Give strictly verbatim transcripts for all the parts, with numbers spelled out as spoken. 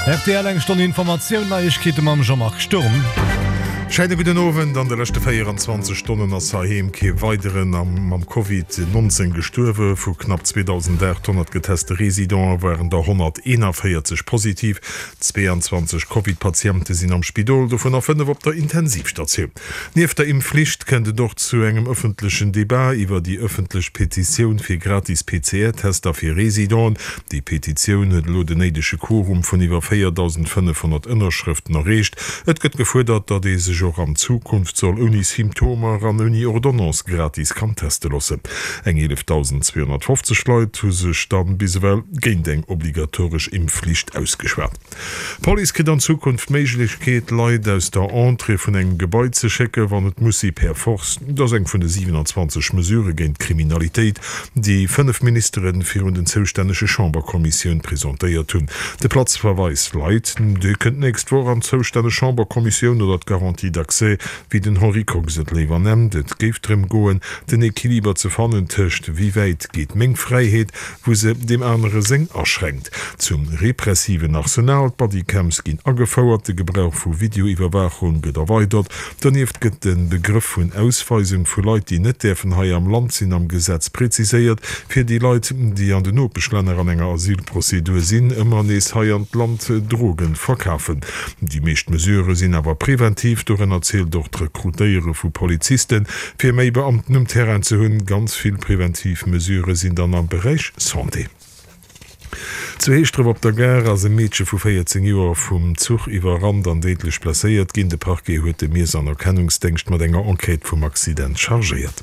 Rtl eng Stonn Informatioun, Neiegkeete mam Jean-Marc Sturm. Scheine gudden Owend. An de leschte véieranzwanzeg Stonnen ass heiheem kee weideren mam Covid nonzéng gestuerwe. Vu knapp zweedausendaathonnert geteste Residente waren der honnerteenanvéierzeg positiv. Zweeanzwanzeg Covid-Patiente sinn am Spidol, dovunner fënnef op der Intensivstatioun. Nieft der Impfflicht kënnt et och zu engem ëffentlechen Debat iwwer déi ëffentlech Petitioun fir gratis P C R-Tester fir Residenten. Déi Petitioun huet elo den néidege Quorum vun iwwer véierdausendfënnefhonnert Ënnerschrëften erreecht. Et gëtt gefuerdert, datt ee sech och an Zukunft soll ouni Symptomer an ouni Ordonnance gratis kann teste loossen. Eng eelefdausendzweehonnertfofzeg Leit hu sech dann bis ewell géint eng obligatoresch Impfflicht ausgeschwat. D'Police kritt an Zukunft d'Méiglechkeet, Leit aus der Entrée vun engem Gebai ze schécken, wann et muss si per Force. Dat ass eng vun de siwenanzwanzeg Mesurë géint d'Kriminalitéit, déi fënnef Ministere virun den zoustännege Chamberkommissioun presentéiert hunn. De Platzverweis light, dee kënnt d'nächst Woch an d'zoustänneg Chamberkommissioun, oder d'Garantie d'accès, wéi den Henri Kox et léiwer nennt. Et géif drëm goen, den Equiliber ze fannen tëscht wéi wäit geet meng Fräiheet, wou se deem anere seng aschränkt. Zum repressiven Arsenal, D'Bodycams ginn agefouert, de Gebrauch vu Videoiwwerwaachung gëtt erweidert. Donieft gëtt de Begrëff vun Ausweisung vu Leit, déi net däerfen hei am Land sinn, am Gesetz preziséiert, fir déi Leit, déi an den Nopeschlänner an enger Asylprozedur sinn, ëmmer nees hei an d'Land Drogen verkafen. Déi meescht Mesurë sinn awer preventiv, dorënner zielt och d'Rekrutéiere vu Polizisten, fir méi Beamten um Terrain ze hunn. Ganz vill preventiv Mesurë sinn dann am Beräich Santé. Zu Heeschdref op der Gare ass e Meedche vu véierzéng Joer vum Zuch iwwerrannt an déidlech blesséiert ginn. De Parquet huet de Miess an Erkennungsdéngscht mat enger Enquête vum Accident chargéiert.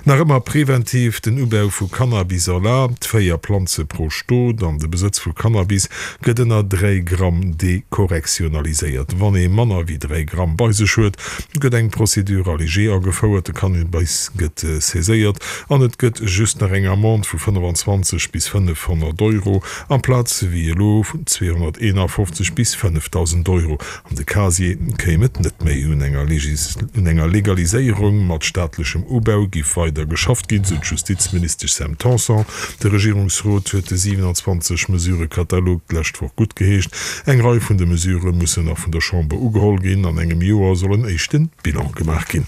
Nach ëmmer preventiv, den Ubau vu Cannabis erlaabt, véier Planze pro Stot an de Besëtz vu Cannabis gëtt ënner dräi Gramm dekorrektionaliséiert. Wann ee manner wéi dräi Gramm bei sech huet, gëtt eng Procédure allégée agefouert, de Cannabis gëtt saiséiert an et gëtt just nach eng Amende vu fënnefenzwanzeg bis fënnefhonnert Euro amplaz wéi elo vun zweehonnerteenafofzeg bis fënnefdausend Euro. An de Casier kéim et net méi. Un enger Legaliséierung mat staatlechem Ubau giff weider geschafft ginn, sou d'Justizministesch Sam Tanson. De Regierungsrot huet de siwenanzwanzeg Mesurë-Katalog d'lescht Woch guttgeheescht. Eng Rei vun de Mesurë mussen nach vun der Chamber ugeholl ginn. An engem Joer soll en éischte Bilan gemaach ginn.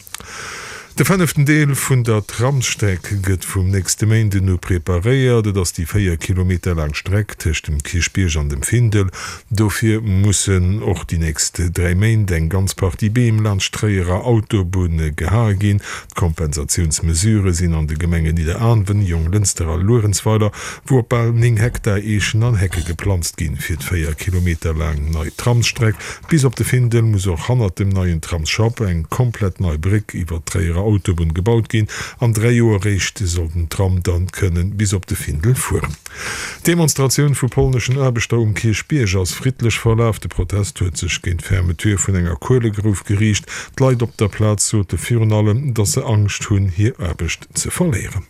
De fënneften Deel vun der Tramsstreck gëtt vum nächste Méinden u preparéiert. Et ass déi véier Kilometer laang Streck tëscht dem Kierchbierg an dem Findel. Dofir mussen och déi nächst dräi Méint eng ganz Partie Beem laanscht d'Tréierer Autobunn gehae ginn. D'Kompensatiounsmesurë sinn an de Gemengen Nidderaanwen, Jonglënster a Luerenzweiler, wou op bal néng Hektar Eechen an Hecke geplanzt ginn. Fir d'véier Kilometer laang nei Tramsstreck bis op de Findel muss och hannert dem neien Tramsschapp eng komplett nei Bréck iwwer d'Tréierer Autobunn gebaut ginn. An dräi Joer réischt soll den Tram dann kënnen bis op de Findel fueren. D'Demonstratioun vu polneschen Aarbechter um Kierchbierg ass friddlech verlaf. De Protest huet sech géint d'Fermeture vun enger Kuelegrouf geriicht. D'Leit op der Plaz sote virun allem, datt se Angscht hunn, hir Aarbecht ze verléieren.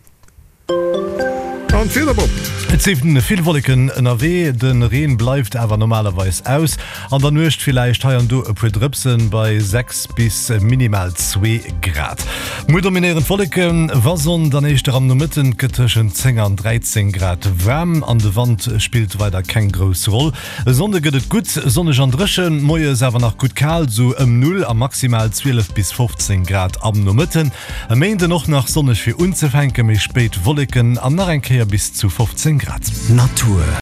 An d'Wieder Bob. Et si vill Wolleken ënnerwee, de Reen bleift awer normalerweis aus. An der Nuecht villäicht hei an do e puer Drëpsen bei sechs bis minimal zwee Grad. Muer dominéieren d'Wolleken, wa Sonn dann éischter am Nomëtten, et gëtt tëschent zéng an dräizéng Grad waarm an de Wand spillt weider keng grouss Roll. E Sonnde gëtt et gutt sonneg an dréchen, moies awer nach gutt kal, sou ëm Null a maximal zwielef bis fofzéng Grad am Nomëtten. E Méinden och nach sonneg fir unzefänken, méi spéit Wolleken an nach eng Kéier bis zu fofzéng Grad. Natur.